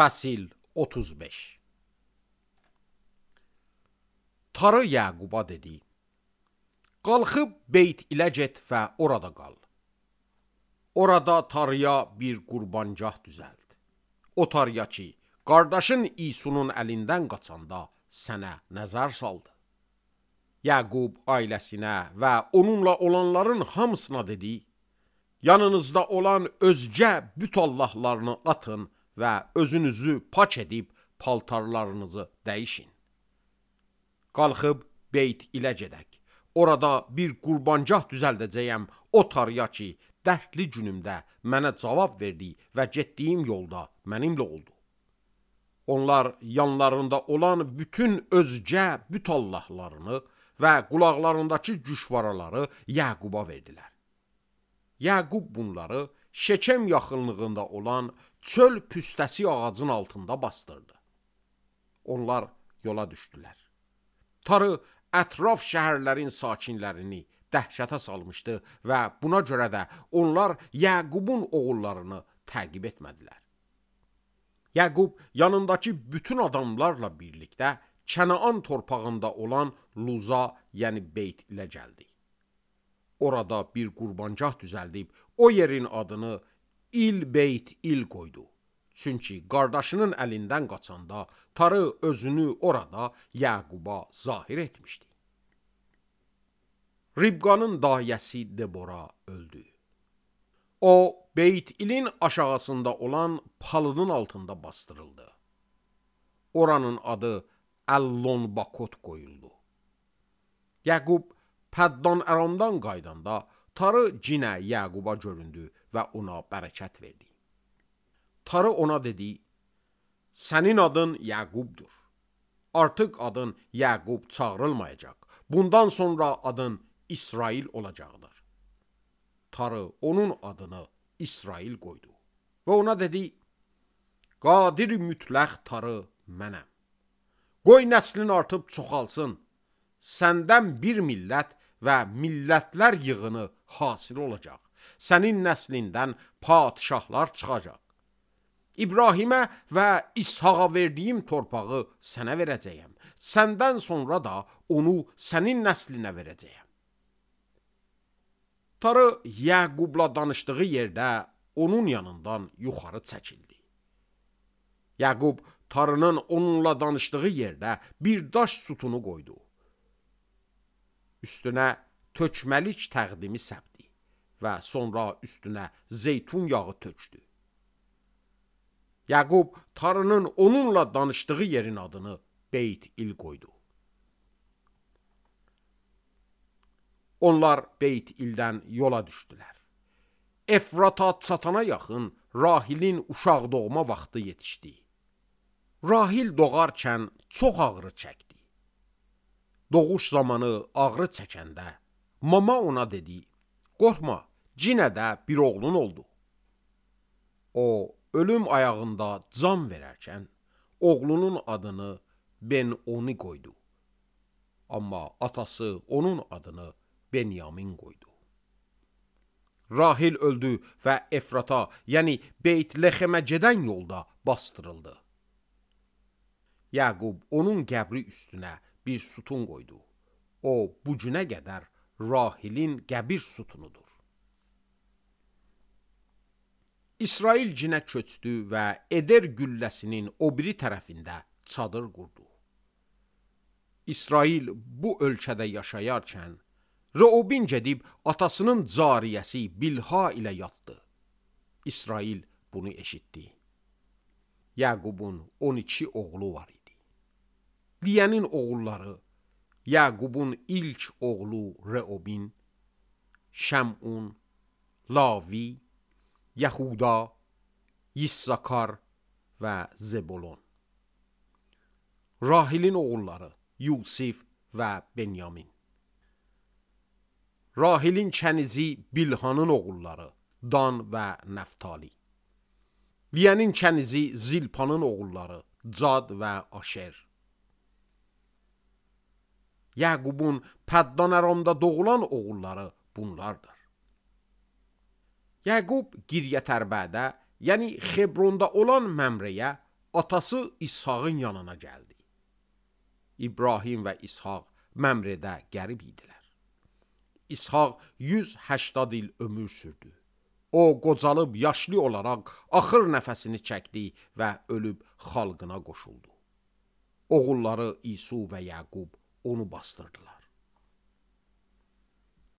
Fəsil 35. Tarı Yaquba dedi: Qalxıb Beyt ilə get və orada qal. Orada tarıya bir qurbancaq düzəld. O tarıya ki, qardaşın İsunun əlindən qaçanda sənə nəzər saldı. Yaqub ailəsinə və onunla olanların hamısına dedi: Yanınızda olan özgə büt allahlarını atın və özünüzü pak edib paltarlarınızı dəyişin. Qalxıb Beyt ilə gedək. Orada bir qurbancaq düzəldəcəyəm o tarıya ki, dərdli günümdə mənə cavab verdi və getdiyim yolda mənimlə oldu. Onlar yanlarında olan bütün özgə büt allahlarını və qulaqlarındakı güşvaraları Yaquba verdilər. Yaqub bunları Şekem yaxınlığında olan çöl püstəsi ağacın altında bastırdı. Onlar yola düşdülər. Tarı ətraf şəhərlərin sakinlərini dəhşətə salmışdı və buna görə də onlar Yaqubun oğullarını təqib etmədilər. Yaqub yanındakı bütün adamlarla birlikdə Kənaan torpağında olan Luza, yəni Beyt ilə gəldi. Orada bir qurbancaq düzəldib o yerin adını İl-Beyt-İl qoydu. Çünki qardaşının əlindən qaçanda tarı özünü orada Yaquba zahir etmişdi. Ribqanın dayəsi Debora öldü. O, Beyt-İlin aşağısında olan palıdın altında bastırıldı. Oranın adı Əllon-Bakot qoyuldu. Yaqub Pəddan Əramdan qaydanda tarı cinə Yaquba göründü və ona bərəkət verdi. Tarı ona dedi: Sənin adın Yaqubdur. Artıq adın Yaqub çağırılmayacaq. Bundan sonra adın İsrail olacaqdır. Tarı onun adını İsrail qoydu. Və ona dedi: Qadir mütləq tarı mənəm. Qoy nəslin artıb çoxalsın. Səndən bir millət və millətlər yığını hasil olacaq. Sənin nəslindən padişahlar çıxacaq. İbrahimə və İshaqa verdiyim torpağı sənə verəcəyəm. Səndən sonra da onu sənin nəslinə verəcəyəm. Tarı Yaqubla danışdığı yerdə onun yanından yuxarı çəkildi. Yaqub tarının onunla danışdığı yerdə bir daş sütunu qoydu. Üstünə tökməlik təqdimi səpdi və sonra üstünə zeytun yağı tökdü. Yaqub tarının onunla danışdığı yerin adını Beyt-İl qoydu. Onlar Beyt-İldən yola düşdülər. Efrata çatana yaxın Rahilin uşaq doğma vaxtı yetişdi. Rahil doğarkən çox ağrı çəkdi. Doğuş zamanı ağrı çəkəndə mama ona dedi: Qorxma, cinə də bir oğlun oldu. O, ölüm ayağında can verərkən oğlunun adını Ben-Oni qoydu. Amma atası onun adını Benyamin qoydu. Rahil öldü və Efrata, yəni Beyt-Lexemə gedən yolda bastırıldı. Yaqub onun qəbri üstünə bir sütun qoydu. O, bu günə qədər Rahilin qəbir sütunudur. İsrail cinə köçdü və Eder gülləsinin o biri tərəfində çadır qurdu. İsrail bu ölkədə yaşayarkən, Reobin gedib atasının cariyəsi Bilha ilə yatdı. İsrail bunu eşitdi. Yaqubun 12 oğlu var idi. Liyənin oğulları, Yaqubun ilk oğlu Reobin, Şəmun, Lavi, Yəhuda, Yissakar və Zebolon. Rahilin oğulları Yusif və Benyamin. Rahilin kənizi Bilhanın oğulları Dan və Nəftali. Liyənin kənizi Zilpanın oğulları Cad və Aşer. Yaqubun Pəddan Əramda doğulan oğulları bunlardır. Yaqub Qiryət Ərbədə, yəni Xebronda olan Məmrəyə atası İshaqın yanına gəldi. İbrahim və İshaq Məmrədə qərib idilər. İshaq 180 il ömür sürdü. O qocalıb yaşlı olaraq axır nəfəsini çəkdi və ölüb xalqına qoşuldu. Oğulları İsu və Yaqub onu bastırdılar.